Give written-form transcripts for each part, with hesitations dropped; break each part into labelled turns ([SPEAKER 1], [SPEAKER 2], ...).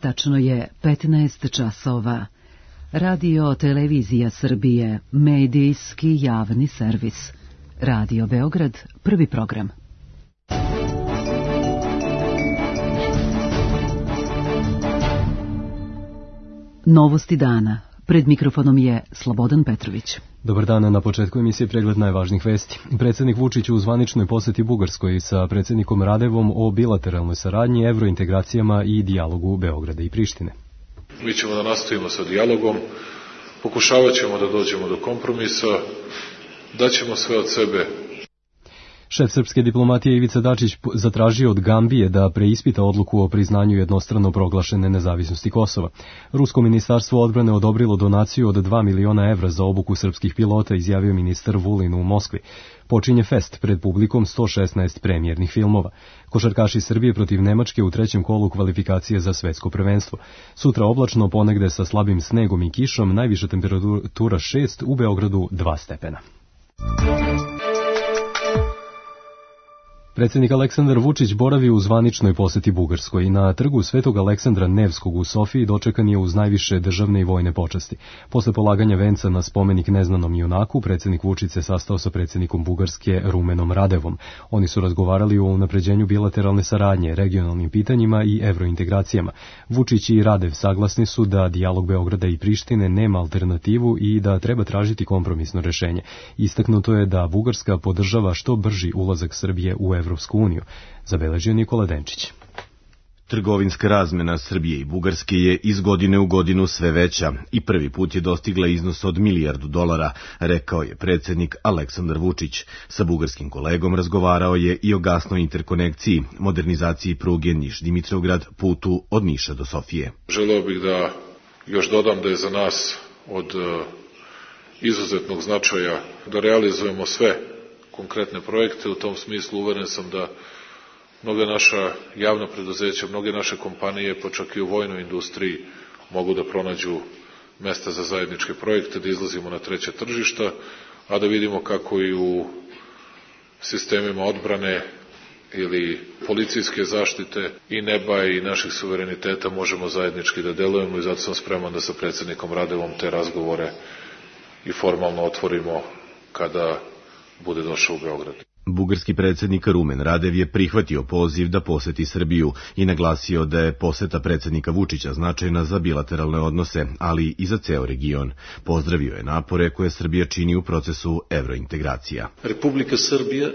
[SPEAKER 1] tačno je 15 časova. Radio Televizija Srbije, medijski javni servis. Radio Beograd, prvi program. Novosti dana. Pred mikrofonom je Slobodan Petrović.
[SPEAKER 2] Dobar dan, na početku emisije pregled najvažnijih vesti. Predsjednik Vučić u zvaničnoj posjeti Bugarskoj sa predsjednikom Radevom o bilateralnoj saradnji, evrointegracijama i dijalogu Beograda i Prištine.
[SPEAKER 3] Mi ćemo da nastavimo sa dijalogom, pokušavat ćemo da dođemo do kompromisa, daćemo sve od sebe.
[SPEAKER 2] Šef srpske diplomatije Ivica Dačić zatražio od Gambije da preispita odluku o priznanju jednostrano proglašene nezavisnosti Kosova. Rusko ministarstvo odbrane odobrilo donaciju od 2 miliona evra za obuku srpskih pilota, izjavio ministar Vulin u Moskvi. Počinje fest pred publikom 116 premijernih filmova. Košarkaši Srbije protiv Nemačke u trećem kolu kvalifikacije za svetsko prvenstvo. Sutra oblačno, ponegde sa slabim snegom i kišom, najviša temperatura 6, u Beogradu 2 stepena. Predsjednik Aleksandar Vučić boravi u zvaničnoj posjeti Bugarskoj. Na trgu Svetog Aleksandra Nevskog u Sofiji dočekan je uz najviše državne i vojne počasti. Posle polaganja venca na spomenik neznanom junaku, predsjednik Vučić se sastao sa predsjednikom Bugarske Rumenom Radevom. Oni su razgovarali o unapređenju bilateralne saradnje, regionalnim pitanjima i evrointegracijama. Vučić i Radev saglasni su da dijalog Beograda i Prištine nema alternativu i da treba tražiti kompromisno rešenje. Istaknuto je da Bugarska podržava što brži ulazak Srbije u Evropsku uniju, zabeležio Nikola Denčić.
[SPEAKER 4] Trgovinska razmena Srbije i Bugarske je iz godine u godinu sve veća i prvi put je dostigla iznos od $1 milijardu, rekao je predsjednik Aleksandar Vučić. Sa bugarskim kolegom razgovarao je i o gasnoj interkonekciji, modernizaciji pruge Niš-Dimitrovgrad, putu od Niša do Sofije.
[SPEAKER 3] Želeo bih da još dodam da je za nas od izuzetnog značaja da realizujemo sve konkretne projekte. U tom smislu uveren sam da mnoga naša javna preduzeća, mnoge naše kompanije, pa čak i u vojnoj industriji, mogu da pronađu mesta za zajedničke projekte, da izlazimo na treća tržišta, a da vidimo kako i u sistemima odbrane ili policijske zaštite i neba i naših suvereniteta možemo zajednički da delujemo, i zato sam spreman da sa predsjednikom Radevom te razgovore i formalno otvorimo kada bude došao u Beograd.
[SPEAKER 4] Bugarski predsjednik Rumen Radev je prihvatio poziv da poseti Srbiju i naglasio da je poseta predsjednika Vučića značajna za bilateralne odnose, ali i za ceo region. Pozdravio je napore koje Srbija čini u procesu evrointegracija.
[SPEAKER 5] Republika Srbija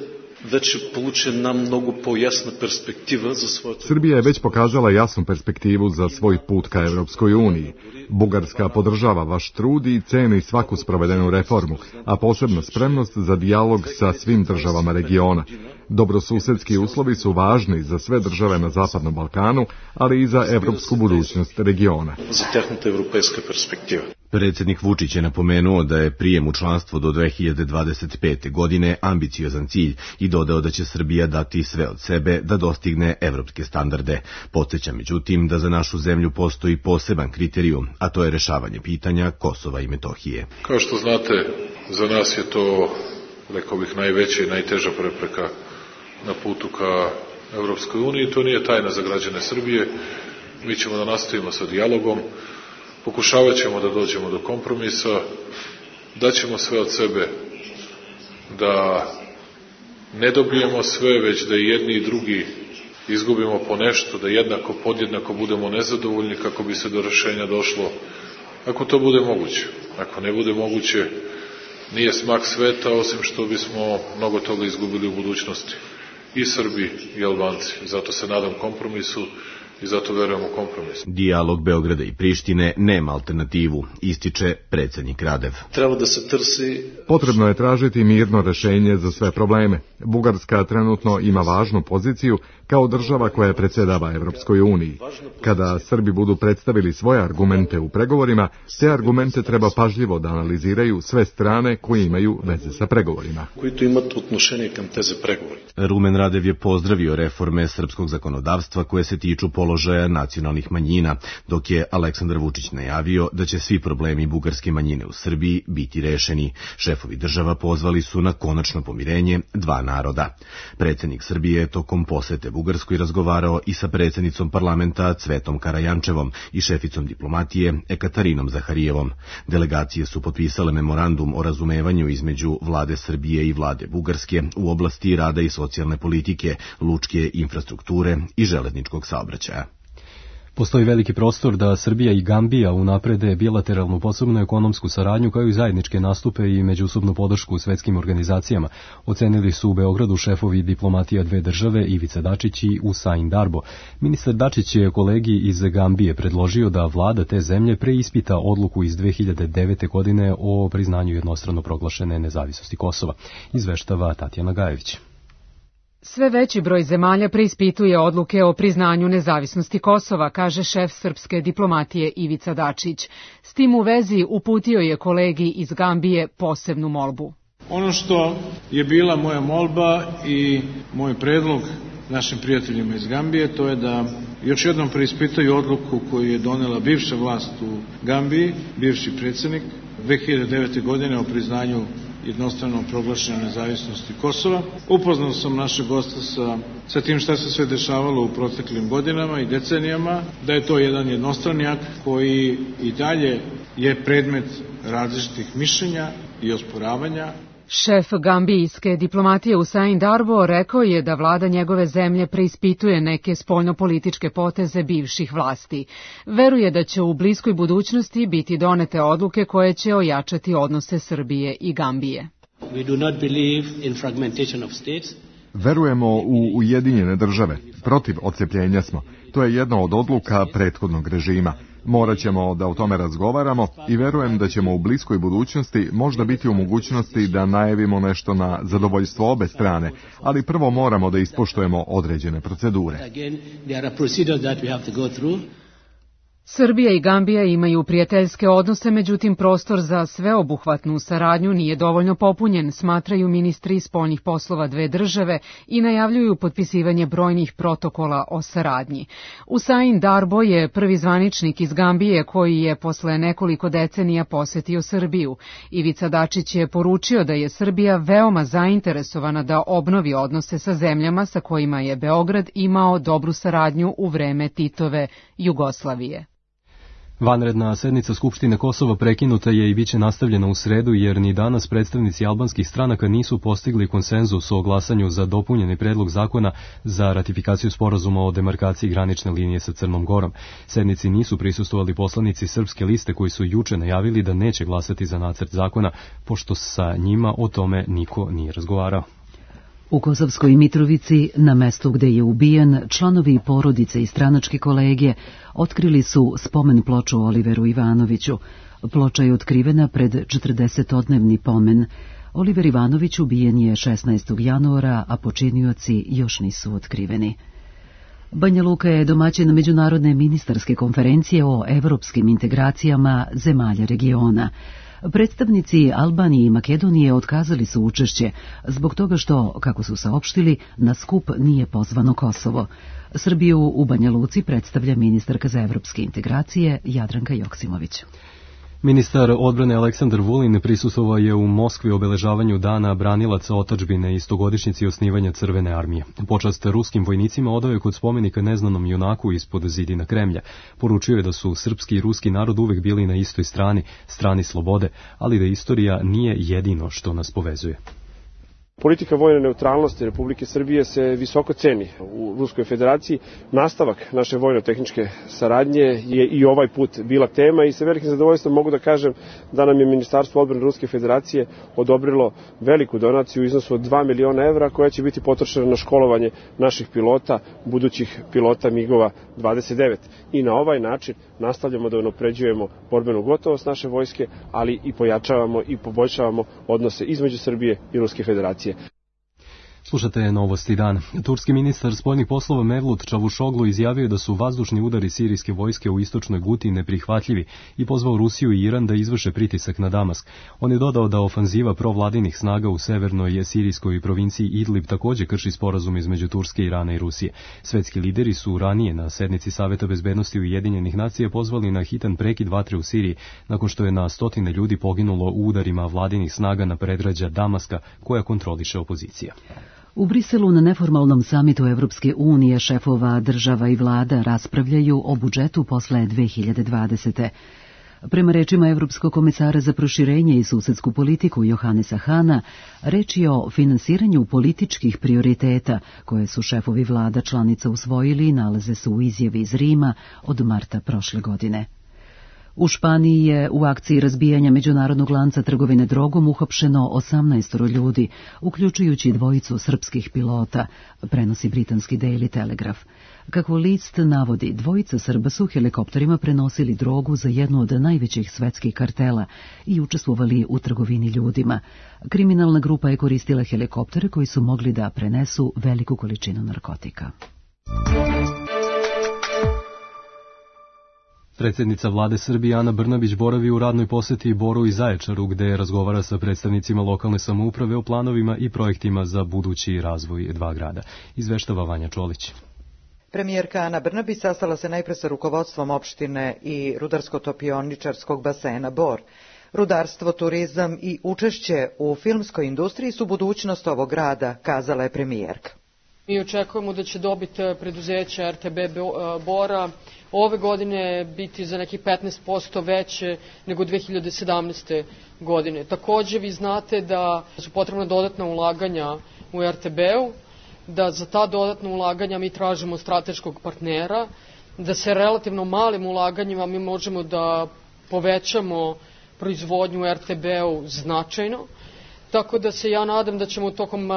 [SPEAKER 5] već получена mnogo pojasna perspektiva za svoje...
[SPEAKER 6] Srbija je već pokazala jasnu perspektivu za svoj put ka Evropskoj uniji. Bugarska podržava vaš trud i ceni svaku sprovedenu reformu, a posebno spremnost za dijalog sa svim državama regiona. Dobrosusedski uslovi su važni za sve države na Zapadnom Balkanu, ali i za evropsku budućnost regiona.
[SPEAKER 5] Za tehnuta evropejska perspektiva.
[SPEAKER 4] Predsjednik Vučić je napomenuo da je prijem u članstvo do 2025. godine ambiciozan cilj i dodao da će Srbija dati sve od sebe da dostigne evropske standarde. Podsjeća međutim da za našu zemlju postoji poseban kriterijum, a to je rešavanje pitanja Kosova i Metohije.
[SPEAKER 3] Kao što znate, za nas je to, rekao bih, najveća i najteža prepreka na putu ka Evropskoj uniji. To nije tajna za građane Srbije. Mi ćemo da nastavimo sa dijalogom, pokušavat ćemo da dođemo do kompromisa, daćemo sve od sebe da ne dobijemo sve, već da i jedni i drugi izgubimo po nešto, da jednako, podjednako budemo nezadovoljni kako bi se do rešenja došlo, ako to bude moguće. Ako ne bude moguće, nije smak sveta, osim što bismo mnogo toga izgubili u budućnosti. I Srbi i Albanci. Zato se nadam kompromisu i zato verujem u kompromis.
[SPEAKER 4] Dijalog Beograda i Prištine nema alternativu, ističe predsjednik Radev.
[SPEAKER 5] Treba da se trsi...
[SPEAKER 6] Potrebno je tražiti mirno rešenje za sve probleme. Bugarska trenutno ima važnu poziciju kao država koja predsjedava Evropskoj uniji. Kada Srbi budu predstavili svoje argumente u pregovorima, te argumente treba pažljivo da analiziraju sve strane koje imaju veze sa pregovorima.
[SPEAKER 5] Koji imaju отношение към тези преговори.
[SPEAKER 4] Rumen Radev je pozdravio reforme srpskog zakonodavstva koje se tiču položaja položaja nacionalnih manjina, dok je Aleksandar Vučić najavio da će svi problemi bugarske manjine u Srbiji biti rešeni. Šefovi država pozvali su na konačno pomirenje dva naroda. Predsjednik Srbije je tokom posete Bugarskoj razgovarao i sa predsjednicom parlamenta Cvetom Karajančevom i šeficom diplomatije Ekatarinom Zaharijevom. Delegacije su potpisale memorandum o razumevanju između vlade Srbije i vlade Bugarske u oblasti rada i socijalne politike, lučke infrastrukture i železničkog saobraćaja.
[SPEAKER 2] Postoji veliki prostor da Srbija i Gambija unaprede bilateralnu posebnu ekonomsku saradnju kao i zajedničke nastupe i međusobnu podršku u svetskim organizacijama, ocenili su u Beogradu šefovi diplomatija dve države Ivica Dačić i Usain Darbo. Ministar Dačić je kolegi iz Gambije predložio da vlada te zemlje preispita odluku iz 2009. godine o priznanju jednostrano proglašene nezavisnosti Kosova, izveštava Tatjana Gajević.
[SPEAKER 7] Sve veći broj zemalja preispituje odluke o priznanju nezavisnosti Kosova, kaže šef srpske diplomatije Ivica Dačić. S tim u vezi uputio je kolegi iz Gambije posebnu molbu.
[SPEAKER 8] Ono što je bila moja molba i moj predlog našim prijateljima iz Gambije, to je da još jednom preispitaju odluku koju je donela bivša vlast u Gambiji, bivši predsjednik, 2009. godine o priznanju jednostrano proglašene nezavisnosti Kosova. Upoznao sam našeg gosta sa tim šta se sve dešavalo u proteklim godinama i decenijama, da je to jedan jednostrani akt koji i dalje je predmet različitih mišljenja i osporavanja.
[SPEAKER 7] Šef gambijske diplomatije Usain Darbo rekao je da vlada njegove zemlje preispituje neke spoljnopolitičke poteze bivših vlasti. Veruje da će u bliskoj budućnosti biti donete odluke koje će ojačati odnose Srbije i Gambije.
[SPEAKER 6] Verujemo u Ujedinjene države. Protiv odcepljenja smo. To je jedna od odluka prethodnog režima. Morat ćemo da o tome razgovaramo i verujem da ćemo u bliskoj budućnosti možda biti u mogućnosti da najavimo nešto na zadovoljstvo obe strane, ali prvo moramo da ispoštujemo određene procedure.
[SPEAKER 7] Srbija i Gambija imaju prijateljske odnose, međutim prostor za sveobuhvatnu saradnju nije dovoljno popunjen, smatraju ministri spoljnih poslova dve države i najavljuju potpisivanje brojnih protokola o saradnji. Usain Darbo je prvi zvaničnik iz Gambije koji je posle nekoliko decenija posetio Srbiju. Ivica Dačić je poručio da je Srbija veoma zainteresovana da obnovi odnose sa zemljama sa kojima je Beograd imao dobru saradnju u vreme Titove Jugoslavije.
[SPEAKER 2] Vanredna sednica Skupštine Kosova prekinuta je i biće nastavljena u sredu jer ni danas predstavnici albanskih stranaka nisu postigli konsenzus o glasanju za dopunjeni predlog zakona za ratifikaciju sporazuma o demarkaciji granične linije sa Crnom Gorom. Sednici nisu prisustvovali poslanici Srpske liste koji su juče najavili da neće glasati za nacrt zakona, pošto sa njima o tome niko nije razgovarao.
[SPEAKER 1] U Kosovskoj Mitrovici, na mestu gde je ubijen, članovi porodice i stranačke kolege otkrili su spomen ploču Oliveru Ivanoviću. Ploča je otkrivena pred 40-odnevni pomen. Oliver Ivanović ubijen je 16. januara, a počinioci još nisu otkriveni. Banja Luka je domaćin međunarodne ministarske konferencije o evropskim integracijama zemalja regiona. Predstavnici Albanije i Makedonije otkazali su učešće zbog toga što, kako su saopštili, na skup nije pozvano Kosovo. Srbiju u Banja Luci predstavlja ministarka za evropske integracije Jadranka Joksimović.
[SPEAKER 2] Ministar odbrane Aleksandar Vulin prisustvovao je u Moskvi obeležavanju dana branilaca otadžbine i 100-godišnjici osnivanja Crvene armije. Počast ruskim vojnicima odao je kod spomenika neznanom junaku ispod zidina Kremlja. Poručio je da su srpski i ruski narod uvek bili na istoj strani slobode, ali da istorija nije jedino što nas povezuje.
[SPEAKER 9] Politika vojne neutralnosti Republike Srbije se visoko ceni u Ruskoj federaciji. Nastavak naše vojno-tehničke saradnje je i ovaj put bila tema i sa velikim zadovoljstvom mogu da kažem da nam je Ministarstvo odbrane Ruske federacije odobrilo veliku donaciju u iznosu od 2 miliona evra koja će biti potrošena na školovanje naših pilota, budućih pilota MiG-ova 29. I na ovaj način nastavljamo da unapređujemo borbenu gotovost naše vojske, ali i pojačavamo i poboljšavamo odnose između Srbije i Ruske federacije.
[SPEAKER 2] Slušate Novosti dana. Turski ministar spoljnih poslova Mevlut Čavuşoglu izjavio da su vazdušni udari sirijske vojske u istočnoj Guti neprihvatljivi i pozvao Rusiju i Iran da izvrše pritisak na Damask. On je dodao da ofanziva provladinih snaga u severnoj sirijskoj provinciji Idlib također krši sporazum između Turske, Irana i Rusije. Svetski lideri su ranije na sednici Saveta bezbednosti Ujedinjenih nacija pozvali na hitan prekid vatre u Siriji nakon što je na stotine ljudi poginulo u udarima vladinih snaga na predgrađa Damaska koja kontroliše opozicija.
[SPEAKER 1] U Briselu na neformalnom samitu Evropske unije šefova država i vlada raspravljaju o budžetu posle 2020. Prema rečima Evropskog komisara za proširenje i susedsku politiku Johannesa Hana, reč je o finansiranju političkih prioriteta koje su šefovi vlada članica usvojili i nalaze se u izjavi iz Rima od marta prošle godine. U Španiji je u akciji razbijanja međunarodnog lanca trgovine drogom uhapšeno 18 ljudi, uključujući dvojicu srpskih pilota, prenosi britanski Daily Telegraph. Kako list navodi, dvojica Srba su helikopterima prenosili drogu za jednu od najvećih svetskih kartela i učestvovali u trgovini ljudima. Kriminalna grupa je koristila helikoptere koji su mogli da prenesu veliku količinu narkotika.
[SPEAKER 2] Predsjednica vlade Srbije Ana Brnabić boravi u radnoj posjeti Boru i Zaječaru, gde razgovara sa predstavnicima lokalne samouprave o planovima i projektima za budući razvoj dva grada. Izveštava Vanja Čolić.
[SPEAKER 10] Premijerka Ana Brnabić sastala se najpre sa rukovodstvom opštine i rudarsko-topioničarskog basena Bor. Rudarstvo, turizam i učešće u filmskoj industriji su budućnost ovog grada, kazala je premijerka.
[SPEAKER 11] Mi očekujemo da će dobit preduzeća RTB Bora ove godine biti za nekih 15% veće nego 2017. godine. Također vi znate da su potrebna dodatna ulaganja u RTB-u, da za ta dodatna ulaganja mi tražimo strateškog partnera, da se relativno malim ulaganjima mi možemo da povećamo proizvodnju u RTB-u značajno, tako da se ja nadam da ćemo tokom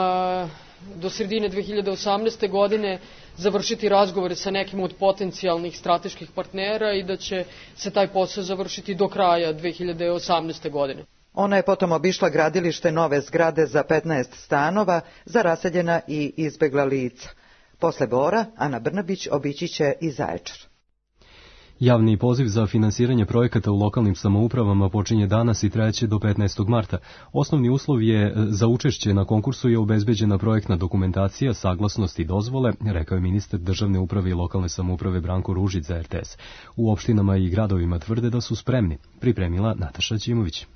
[SPEAKER 11] do sredine 2018. godine završiti razgovore sa nekim od potencijalnih strateških partnera i da će se taj posao završiti do kraja 2018. godine.
[SPEAKER 10] Ona je potom obišla gradilište nove zgrade za 15 stanova za raseljena i izbegla lica. Posle Bora, Ana Brnabić obići će i Zaječar.
[SPEAKER 2] Javni poziv za finansiranje projekata u lokalnim samoupravama počinje danas i trajaće do 15. marta. Osnovni uslov je za učešće na konkursu je obezbeđena projektna dokumentacija, saglasnost i dozvole, rekao je ministar državne uprave i lokalne samouprave Branko Ružić za RTS. U opštinama i gradovima tvrde da su spremni, pripremila Nataša Ćimović.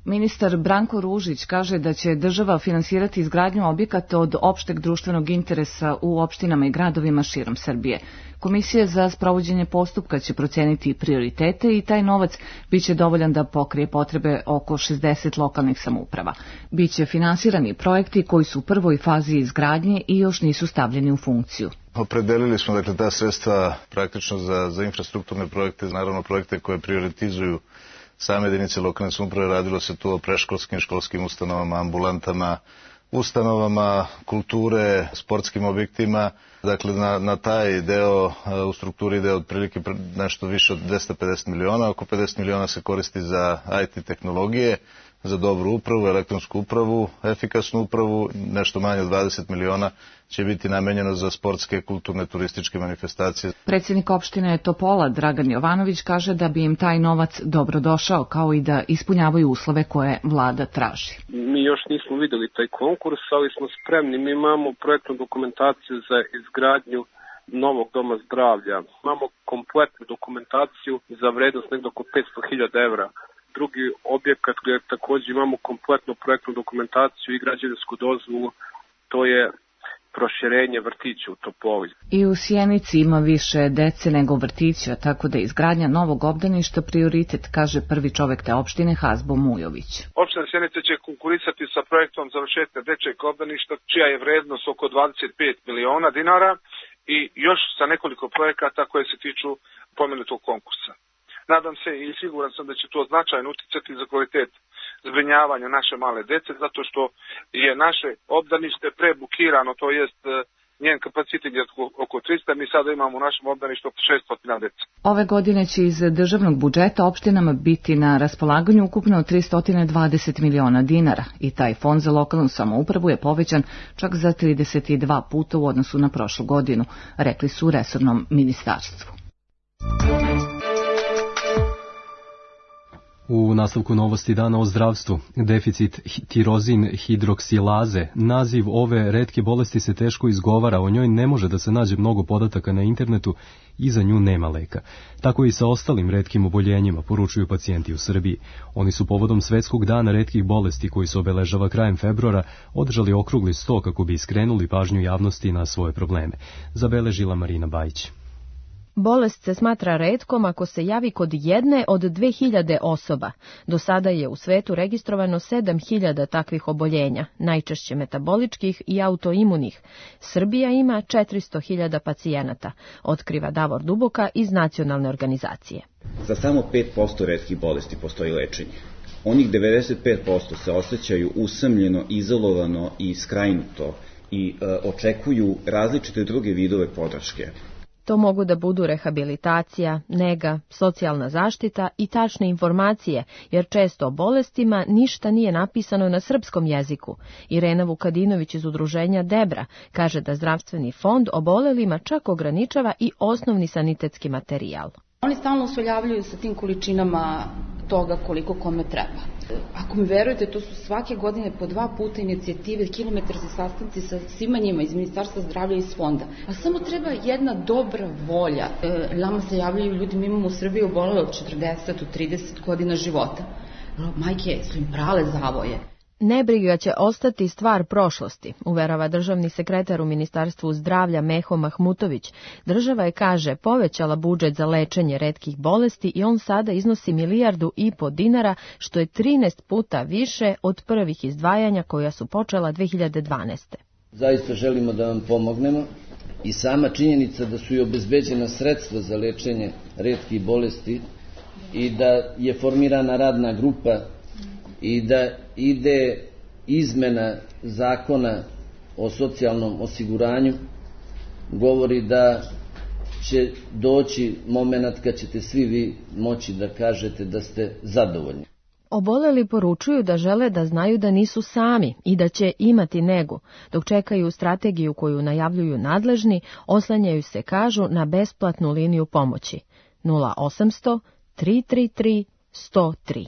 [SPEAKER 12] Ministar Branko Ružić kaže da će država finansirati izgradnju objekata od opšteg društvenog interesa u opštinama i gradovima širom Srbije. Komisija za sprovođenje postupka će proceniti prioritete i taj novac biće dovoljan da pokrije potrebe oko 60 lokalnih samouprava. Biće finansirani projekti koji su u prvoj fazi izgradnje i još nisu stavljeni u funkciju.
[SPEAKER 13] Opredelili smo ta sredstva praktično za infrastrukturne projekte, naravno projekte koje prioritizuju same jedinice lokalne samouprave. Radilo se tu o predškolskim, školskim ustanovama, ambulantama, ustanovama kulture, sportskim objektima. Dakle, na taj deo u strukturi ide otprilike nešto više od 250 miliona. Oko 50 miliona se koristi za IT tehnologije, za dobru upravu, elektronsku upravu, efikasnu upravu. Nešto manje od 20 miliona će biti namenjeno za sportske, kulturne, turističke manifestacije.
[SPEAKER 12] Predsjednik opštine Topola, Dragan Jovanović, kaže da bi im taj novac dobro došao, kao i da ispunjavaju uslove koje vlada traži.
[SPEAKER 14] Mi još nismo vidjeli taj konkurs, ali smo spremni. Mi imamo projektnu dokumentaciju za izgradnju novog doma zdravlja. Imamo kompletnu dokumentaciju za vrednost nekdo oko 500.000 evra. Drugi objekat gdje također imamo kompletnu projektnu dokumentaciju i građevinsku dozvolu, to je proširenje vrtića u Topoli.
[SPEAKER 12] I u Sjenici ima više dece nego vrtića, tako da je izgradnja novog obdaništa prioritet, kaže prvi čovek te opštine Hazbo Mujović.
[SPEAKER 15] Opština Sjenica će konkurisati sa projektom završetka dečjeg obdaništa, čija je vrednost oko 25 miliona dinara i još sa nekoliko projekata koje se tiču pomenutog konkursa. Nadam se i siguran sam da će to značajno uticati za kvalitet zbrinjavanja naše male dece, zato što je naše obdanište prebukirano, to jest njen kapacitet je oko mi sada imamo u našem obdaništu 600 dece.
[SPEAKER 12] Ove godine će iz državnog budžeta opštinama biti na raspolaganju ukupno 320 miliona dinara i taj fond za lokalnu samoupravu je povećan čak za 32 puta u odnosu na prošlu godinu, rekli su u resornom ministarstvu.
[SPEAKER 2] U nastavku novosti dana o zdravstvu, deficit tirozin hidroksilaze, naziv ove retke bolesti se teško izgovara, o njoj ne može da se nađe mnogo podataka na internetu i za nju nema leka. Tako i sa ostalim retkim oboljenjima, poručuju pacijenti u Srbiji. Oni su povodom Svetskog dana retkih bolesti koji se obeležava krajem februara održali okrugli sto kako bi skrenuli pažnju javnosti na svoje probleme. Zabeležila Marina Bajić.
[SPEAKER 16] Bolest se smatra retkom ako se javi kod jedne od 2000 osoba. Do sada je u svetu registrovano 7000 takvih oboljenja, najčešće metaboličkih i autoimunih. Srbija ima 400.000 pacijenata, otkriva Davor Duboka iz nacionalne organizacije.
[SPEAKER 17] Za samo 5% retkih bolesti postoji lečenje. Onih 95% se osjećaju usamljeno, izolovano i skrajnuto i očekuju različite druge vidove podrške.
[SPEAKER 16] To mogu da budu rehabilitacija, nega, socijalna zaštita i tačne informacije, jer često o bolestima ništa nije napisano na srpskom jeziku. Irena Vukadinović iz udruženja Debra kaže da zdravstveni fond obolelima čak ograničava i osnovni sanitetski materijal.
[SPEAKER 18] Oni stalno usoljavljuju sa tim količinama toga koliko kome treba. Ako mi verujete, to su svake godine po 2 puta inicijative, kilometarski sastanci sa svima njima iz Ministarstva zdravlja i iz fonda. A samo treba jedna dobra volja. Nama se javljaju ljudi, mi imamo u Srbiji obolele od 40 do 30 godina života. Majke su im prale zavoje.
[SPEAKER 16] Nebriga će ostati stvar prošlosti, uverava državni sekretar u Ministarstvu zdravlja Meho Mahmutović. Država je, kaže, povećala budžet za lečenje retkih bolesti i on sada iznosi 1,5 milijardu dinara, što je 13 puta više od prvih izdvajanja koja su počela 2012.
[SPEAKER 19] Zaista želimo da vam pomognemo i sama činjenica da su i obezbeđena sredstva za lečenje retkih bolesti i da je formirana radna grupa i da ide izmena zakona o socijalnom osiguranju, govori da će doći moment kad ćete svi vi moći da kažete da ste zadovoljni.
[SPEAKER 16] Oboleli poručuju da žele da znaju da nisu sami i da će imati negu. Dok čekaju strategiju koju najavljuju nadležni, oslanjaju se, kažu, na besplatnu liniju pomoći 0800 333 103.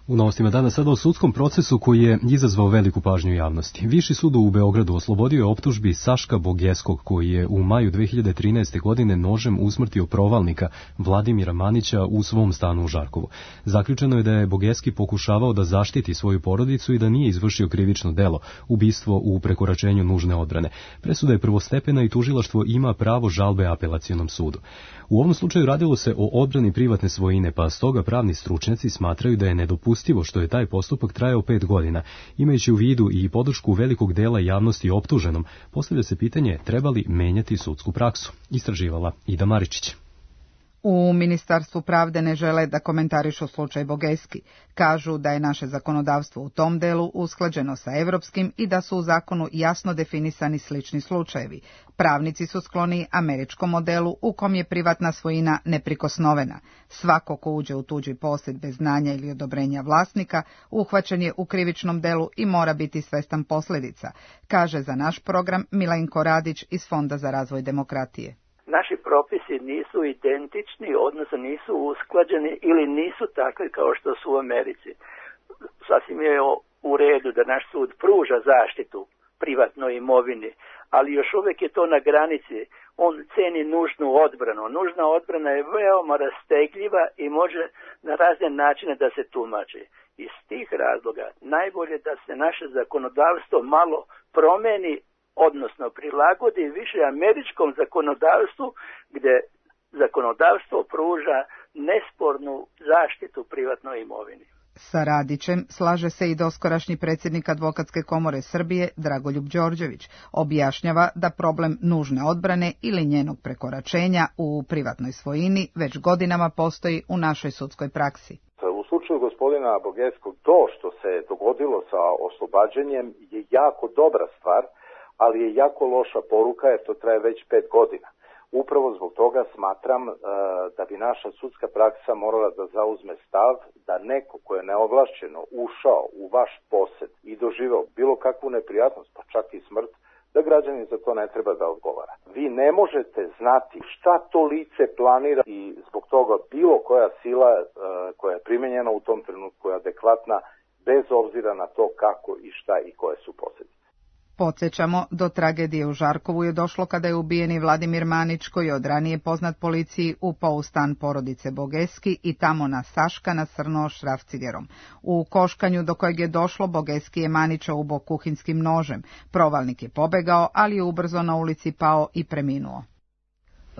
[SPEAKER 2] U novostima dana sada o sudskom procesu koji je izazvao veliku pažnju javnosti. Viši sud u Beogradu oslobodio je optužbi Saška Bogeskog, koji je u maju 2013. godine nožem usmrtio provalnika Vladimira Manića u svom stanu u Žarkovu. Zaključeno je da je Bogeski pokušavao da zaštiti svoju porodicu i da nije izvršio krivično delo, ubistvo u prekoračenju nužne odbrane. Presuda je prvostepena i tužilaštvo ima pravo žalbe apelacionom sudu. U ovom slučaju radilo se o odbrani privatne svojine, pa stoga pravni stručnjaci smatraju da je nedopustivo što je taj postupak trajao 5 godina. Imajući u vidu i podršku velikog dela javnosti optuženom, postavlja se pitanje treba li menjati sudsku praksu. Istraživala Ida Maričić.
[SPEAKER 20] U Ministarstvu pravde ne žele da komentarišu slučaj Bogeski. Kažu da je naše zakonodavstvo u tom delu usklađeno sa evropskim i da su u zakonu jasno definisani slični slučajevi. Pravnici su skloni američkom modelu u kom je privatna svojina neprikosnovena. Svako ko uđe u tuđi posjed bez znanja ili odobrenja vlasnika uhvaćen je u krivičnom delu i mora biti svestan posljedica, kaže za naš program Milenko Radić iz Fonda za razvoj demokratije.
[SPEAKER 21] Naši propisi nisu identični, odnosno nisu usklađeni ili nisu takvi kao što su u Americi. Sasvim je u redu da naš sud pruža zaštitu privatnoj imovini, ali još uvijek je to na granici. On ceni nužnu odbranu. Nužna odbrana je veoma rastegljiva i može na razne načine da se tumači. Iz tih razloga najbolje da se naše zakonodavstvo malo promeni, odnosno prilagodi više američkom zakonodavstvu, gdje zakonodavstvo pruža nespornu zaštitu privatnoj imovini.
[SPEAKER 20] Sa Radićem slaže se i doskorašnji predsjednik Advokatske komore Srbije Dragoljub Đorđević. Objašnjava da problem nužne odbrane ili njenog prekoračenja u privatnoj svojini već godinama postoji u našoj sudskoj praksi.
[SPEAKER 22] U slučaju gospodina Bogeskog, to što se dogodilo sa oslobađanjem je jako dobra stvar,
[SPEAKER 3] ali je jako loša poruka jer to traje već 5 godina. Upravo zbog toga smatram da bi naša sudska praksa morala da zauzme stav da neko ko je neovlašćeno ušao u vaš posed i doživeo bilo kakvu neprijatnost, pa čak i smrt, da građanin za to ne treba da odgovara. Vi ne možete znati šta to lice planira i zbog toga bilo koja sila koja je primenjena u tom trenutku je adekvatna bez obzira na to kako i šta i koje su posljedice.
[SPEAKER 20] Podsjećamo, do tragedije u Žarkovu je došlo kada je ubijeni Vladimir Manić, koji je od ranije poznat policiji, upao u stan porodice Bogeski i tamo na Saška nasrnuo šrafcigerom. U koškanju do kojeg je došlo, Bogeski je Manića ubao kuhinskim nožem. Provalnik je pobegao, ali je ubrzo na ulici pao i preminuo.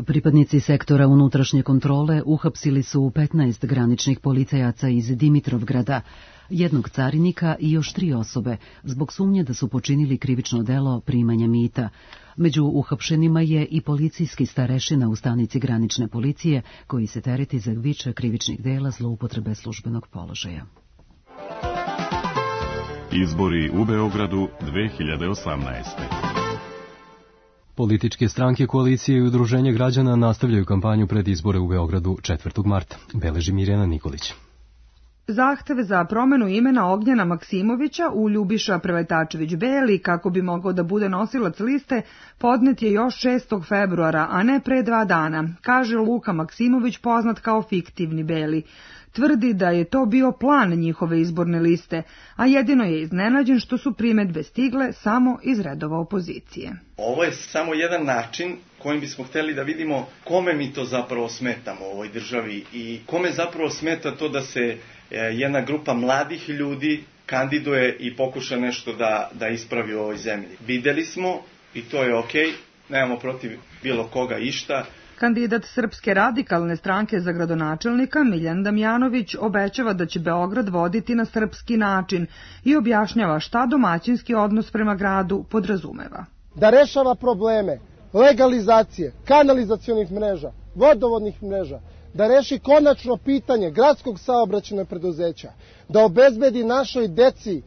[SPEAKER 1] Pripadnici sektora unutrašnje kontrole uhapsili su 15 graničnih policajaca iz Dimitrovgrada, jednog carinika i još 3 osobe, zbog sumnje da su počinili krivično delo primanja mita. Među uhapšenima je i policijski starešina u stanici granične policije, koji se tereti za više krivičnih dela zloupotrebe službenog položaja.
[SPEAKER 22] Izbori u Beogradu 2018.
[SPEAKER 2] Političke stranke, koalicije i udruženje građana nastavljaju kampanju pred izbore u Beogradu 4. marta. Beleži Mirjana Nikolić.
[SPEAKER 23] Zahteve za promenu imena Ognjena Maksimovića u Ljubiša Preletačević-Beli, kako bi mogao da bude nosilac liste, podnet je još 6. februara, a ne pre 2 dana, kaže Luka Maksimović, poznat kao fiktivni Beli. Tvrdi da je to bio plan njihove izborne liste, a jedino je iznenađen što su primedbe stigle samo iz redova opozicije.
[SPEAKER 24] Ovo je samo jedan način kojim bismo hteli da vidimo kome mi to zapravo smetamo u ovoj državi i kome zapravo smeta to da se jedna grupa mladih ljudi kandiduje i pokuša nešto da ispravi u ovoj zemlji. Videli smo i to je okej, nemamo protiv bilo koga išta.
[SPEAKER 23] Kandidat Srpske radikalne stranke za gradonačelnika Miljan Damjanović obećava da će Beograd voditi na srpski način i objašnjava šta domaćinski odnos prema gradu podrazumeva.
[SPEAKER 25] Da rešava probleme legalizacije, kanalizacionih mreža, vodovodnih mreža, da reši konačno pitanje gradskog saobraćajnog preduzeća, da obezbedi našoj deci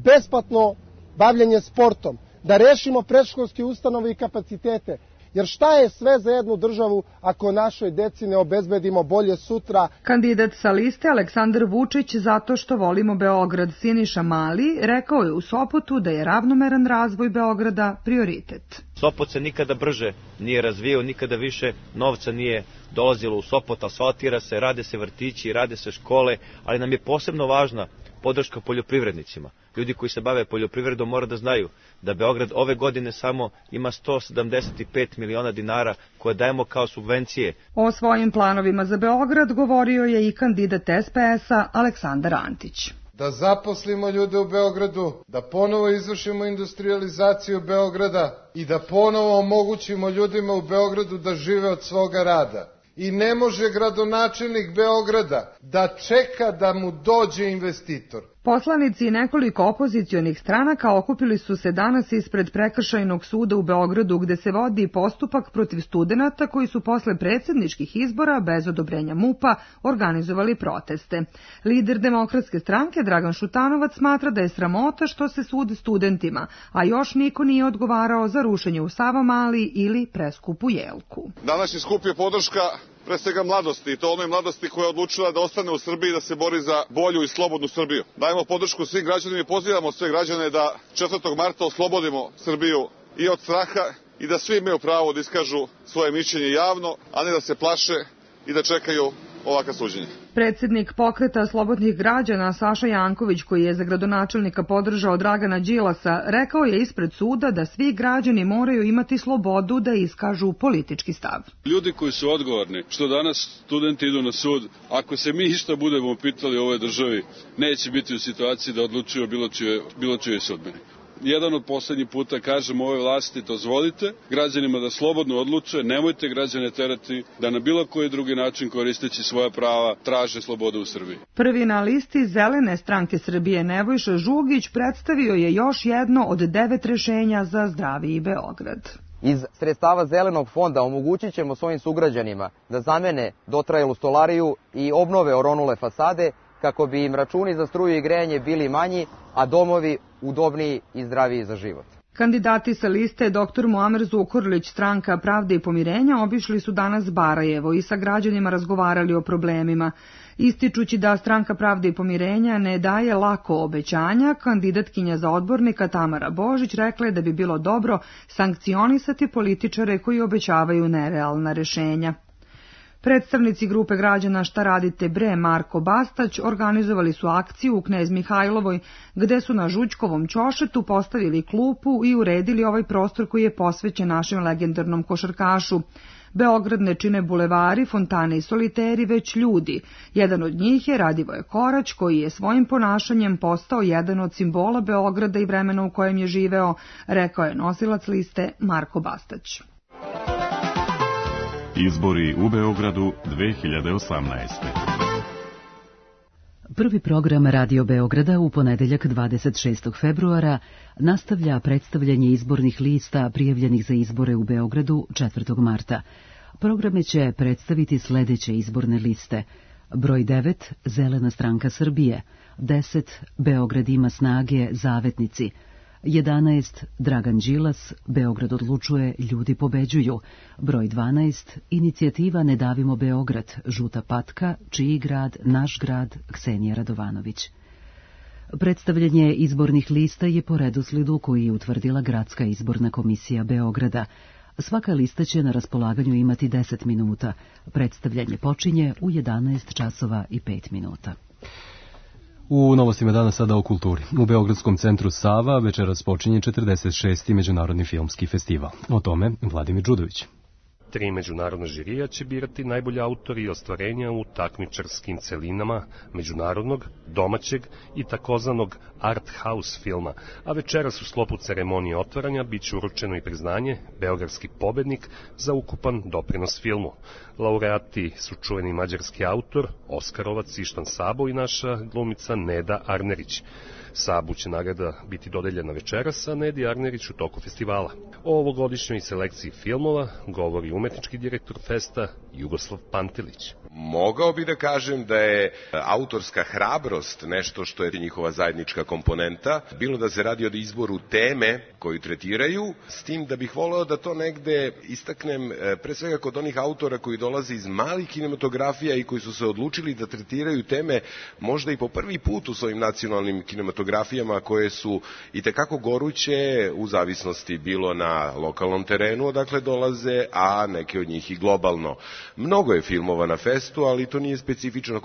[SPEAKER 25] besplatno bavljenje sportom, da rešimo predškolske ustanove i kapacitete. Jer šta je sve za jednu državu ako našoj deci ne obezbedimo bolje sutra?
[SPEAKER 23] Kandidat sa liste Aleksandar Vučić, zato što volimo Beograd, Siniša Mali, rekao je u Sopotu da je ravnomeran razvoj Beograda prioritet.
[SPEAKER 26] Sopot se nikada brže nije razvijao, nikada više novca nije dolazilo u Sopot, asfaltira se, rade se vrtići, rade se škole, ali nam je posebno važna podrška poljoprivrednicima. Ljudi koji se bave poljoprivredom mora da znaju da Beograd ove godine samo ima 175 miliona dinara koje dajemo kao subvencije.
[SPEAKER 23] O svojim planovima za Beograd govorio je i kandidat SPS-a Aleksandar Antić.
[SPEAKER 27] Da zaposlimo ljude u Beogradu, da ponovo izvršimo industrializaciju Beograda i da ponovo omogućimo ljudima u Beogradu da žive od svoga rada. I ne može gradonačelnik Beograda da čeka da mu dođe investitor.
[SPEAKER 23] Poslanici i nekoliko opozicionih stranaka okupili su se danas ispred Prekršajnog suda u Beogradu, gde se vodi postupak protiv studenata koji su posle predsjedničkih izbora bez odobrenja MUP-a organizovali proteste. Lider Demokratske stranke Dragan Šutanovac smatra da je sramota što se sudi studentima, a još niko nije odgovarao za rušenje u Savamali ili preskupu Jelku.
[SPEAKER 28] Današnji skup je podrška pre svega mladosti, i to onoj mladosti koja je odlučila da ostane u Srbiji, da se bori za bolju i slobodnu Srbiju. Dajemo podršku svim građanima i pozivamo sve građane da 4. marta oslobodimo Srbiju i od straha i da svi imaju pravo da iskažu svoje mišljenje javno, a ne da se plaše i da čekaju ovakva suđenja.
[SPEAKER 23] Predsjednik Pokreta slobodnih građana Saša Janković, koji je za gradonačelnika podržao Dragana Đilasa, rekao je ispred suda da svi građani moraju imati slobodu da iskažu politički stav.
[SPEAKER 29] Ljudi koji su odgovorni, što danas studenti idu na sud, ako se mi išta budemo pitali u ovoj državi, neće biti u situaciji da odlučuju bilo čije sudbine. Jedan od poslednjih puta kažem ovoj vlasti, dozvolite građanima da slobodno odluče, nemojte građane terati da na bilo koji drugi način koristeći svoja prava traže slobodu u Srbiji.
[SPEAKER 23] Prvi na listi Zelene stranke Srbije Nebojša Žugić predstavio je još jedno od 9 rešenja za zdraviji Beograd.
[SPEAKER 30] Iz sredstava Zelenog fonda omogućit ćemo svojim sugrađanima da zamene dotrajalu stolariju i obnove oronule fasade, kako bi im računi za struju i grejanje bili manji, a domovi udobniji i zdraviji za život.
[SPEAKER 23] Kandidati sa liste dr. Muamer Zukorlić, Stranka pravde i pomirenja, obišli su danas Barajevo i sa građanima razgovarali o problemima. Ističući da Stranka pravde i pomirenja ne daje lako obećanja, kandidatkinja za odbornika Tamara Božić rekla je da bi bilo dobro sankcionisati političare koji obećavaju nerealna rešenja. Predstavnici grupe građana Šta radite bre Marko Bastać organizovali su akciju u Knez Mihajlovoj, gde su na Žućkovom ćošetu postavili klupu i uredili ovaj prostor koji je posvećen našem legendarnom košarkašu. Beograd ne čine bulevari, fontane i soliteri, već ljudi. Jedan od njih je Radivoje Korać, koji je svojim ponašanjem postao jedan od simbola Beograda i vremena u kojem je živeo, rekao je nosilac liste Marko Bastać.
[SPEAKER 22] Izbori u Beogradu 2018.
[SPEAKER 1] Prvi program Radio Beograda u ponedeljak 26. februara nastavlja predstavljanje izbornih lista prijavljenih za izbore u Beogradu 4. marta. Programe će predstaviti sledeće izborne liste. Broj 9, Zelena stranka Srbije, 10, Beograd ima snage, Zavetnici, 11, Dragan Đilas, Beograd odlučuje, ljudi pobeđuju, broj 12, Inicijativa Ne davimo Beograd, Žuta patka, Čiji grad, Naš grad, Ksenija Radovanović. Predstavljanje izbornih lista je po redoslijedu koji je utvrdila Gradska izborna komisija Beograda. Svaka lista će na raspolaganju imati 10 minuta. Predstavljanje počinje u 11 časova i 5 minuta.
[SPEAKER 2] U novostima dana sada o kulturi. U Beogradskom centru Sava večeras počinje 46. Međunarodni filmski festival. O tome Vladimir Đudović.
[SPEAKER 4] 3 međunarodna žirija će birati najbolji autori i ostvarenja u takmičarskim celinama međunarodnog, domaćeg i takozvanog art house filma, a večeras u sklopu ceremonije otvaranja biće uručeno i priznanje Beogradski pobednik za ukupan doprinos filmu. Laureati su čuveni mađarski autor, Oskarovac Ištan Sabo i naša glumica Neda Arnerić. Sabu će nagrada biti dodeljena večeras, a Nedi Arnerić u toku festivala. O ovogodišnjoj selekciji filmova govori umetnički direktor festa Jugoslav Pantelić.
[SPEAKER 5] Mogao bi da kažem da je autorska hrabrost nešto što je njihova zajednička komponenta, bilo da se radi o izboru teme koju tretiraju, s tim da bih voleo da to negde istaknem pre svega kod onih autora koji dolaze iz malih kinematografija i koji su se odlučili da tretiraju teme možda i po prvi put u svojim nacionalnim kinematografijama koje su i tekako goruće u zavisnosti bilo na lokalnom terenu odakle dolaze, a neke od njih i globalno. Mnogo je filmova na festu, ali to nije specifično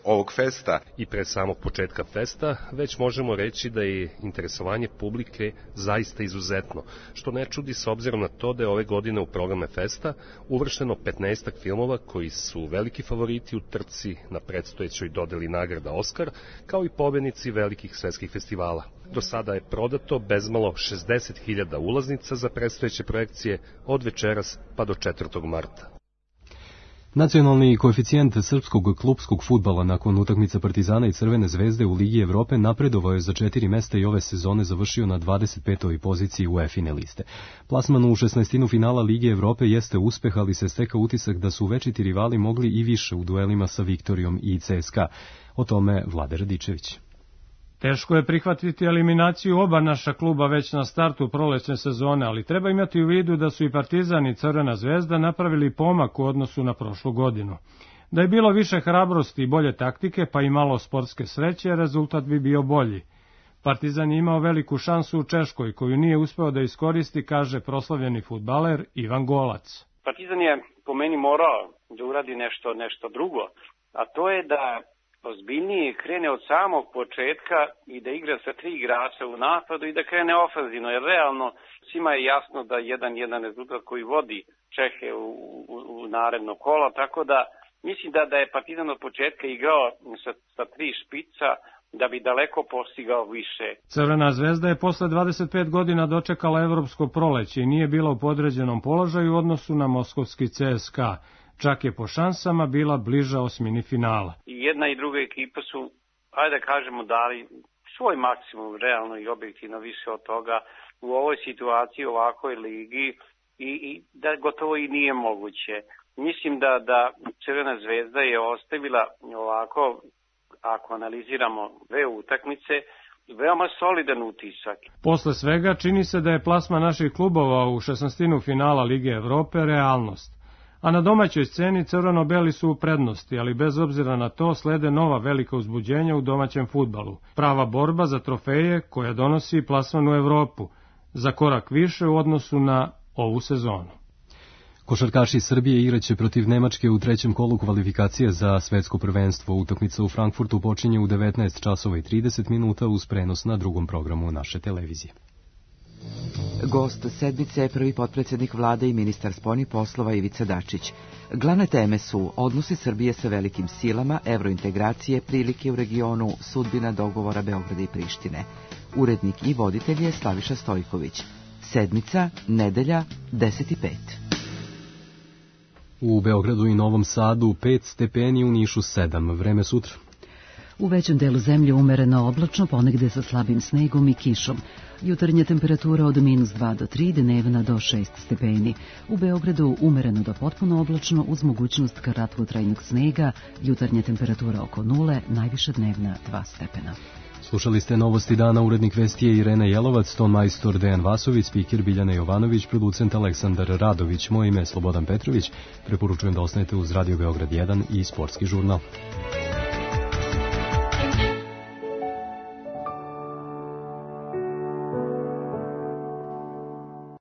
[SPEAKER 5] ovog festa.
[SPEAKER 4] I pre samog početka festa već možemo reći da je interesovanje publike zaista izuzetno, što ne čudi s obzirom na to da je ove godine u programe festa uvršteno 15 filmova koji su veliki favoriti u trci na predstojećoj dodeli nagrada Oskar, kao i pobednici velikih svetskih festivala. Do sada je prodato bezmalo 60.000 ulaznica za predstojeće projekcije od večeras pa do 4. marta.
[SPEAKER 2] Nacionalni koeficijent srpskog klupskog fudbala nakon utakmica Partizana i Crvene zvezde u Ligi Evrope napredovao je za 4 mesta i ove sezone završio na 25. poziciji UEFA-ine liste. Plasman u 16. finala Lige Evrope jeste uspeh, ali se stekao utisak da su večiti rivali mogli i više u duelima sa Viktorijom i CSKA. O tome Vlade Radičević.
[SPEAKER 6] Teško je prihvatiti eliminaciju oba naša kluba već na startu prolećne sezone, ali treba imati u vidu da su i Partizan i Crvena zvezda napravili pomak u odnosu na prošlu godinu. Da je bilo više hrabrosti i bolje taktike, pa i malo sportske sreće, rezultat bi bio bolji. Partizan je imao veliku šansu u Češkoj, koju nije uspeo da iskoristi, kaže proslavljeni fudbaler Ivan Golac.
[SPEAKER 7] Partizan je po meni morao da uradi nešto drugo, a to je da ozbiljnije krene od samog početka i da igra sa 3 igrača u napadu i da krene ofenzivno, jer realno svima je jasno da jedan rezultat koji vodi Čehe u naredno kolo, tako da mislim da je Partizan od početka igrao sa 3 špica da bi daleko postigao više.
[SPEAKER 6] Crvena zvezda je posle 25 godina dočekala evropsko proleće i nije bila u podređenom položaju u odnosu na moskovski CSKA. Čak je po šansama bila bliža osmini finala.
[SPEAKER 7] I jedna i druga ekipa su, ajde da kažemo, dali svoj maksimum, realno i objektivno više od toga u ovoj situaciji, u ovakvoj ligi i da gotovo i nije moguće. Mislim da Crvena zvezda je ostavila ovako, ako analiziramo 2 utakmice, veoma solidan utisak.
[SPEAKER 6] Posle svega čini se da je plasma naših klubova u 16. finala Lige Evrope realnost. A na domaćoj sceni crveno-beli su u prednosti, ali bez obzira na to slede nova velika uzbuđenja u domaćem fudbalu. Prava borba za trofeje koja donosi plasman u Evropu, za korak više u odnosu na ovu sezonu.
[SPEAKER 2] Košarkaši Srbije igraće protiv Nemačke u trećem kolu kvalifikacije za svetsko prvenstvo. Utakmica u Frankfurtu počinje u 19 časova i 30 minuta uz prenos na drugom programu naše televizije.
[SPEAKER 8] Gost sedmice je prvi potpredsjednik vlade i ministar spoljnih poslova Ivica Dačić. Glavne teme su odnosi Srbije sa velikim silama, evrointegracije, prilike u regionu, sudbina dogovora Beograda i Prištine. Urednik i voditelj je Slaviša Stojković. Sedmica, nedelja, 10:05.
[SPEAKER 2] U Beogradu i Novom Sadu 5 stepeni, u Nišu 7. Vreme sutra.
[SPEAKER 1] U većem delu zemlje umereno oblačno, ponegde sa slabim snegom i kišom. Jutarnja temperatura od -2 do 3, dnevna do 6 stepeni. U Beogradu umereno do potpuno oblačno uz mogućnost kratkotrajnog snega, jutarnja temperatura oko 0, najviša dnevna 2 stepena.
[SPEAKER 2] Slušali ste Novosti dana, urednik vesti je Irena Jelovac, ton majstor Dejan Vasović, spiker Biljana Jovanović, producent Aleksandar Radović, moje ime je Slobodan Petrović. Preporučujem da ostanete uz Radio Beograd 1 i Sportski žurnal.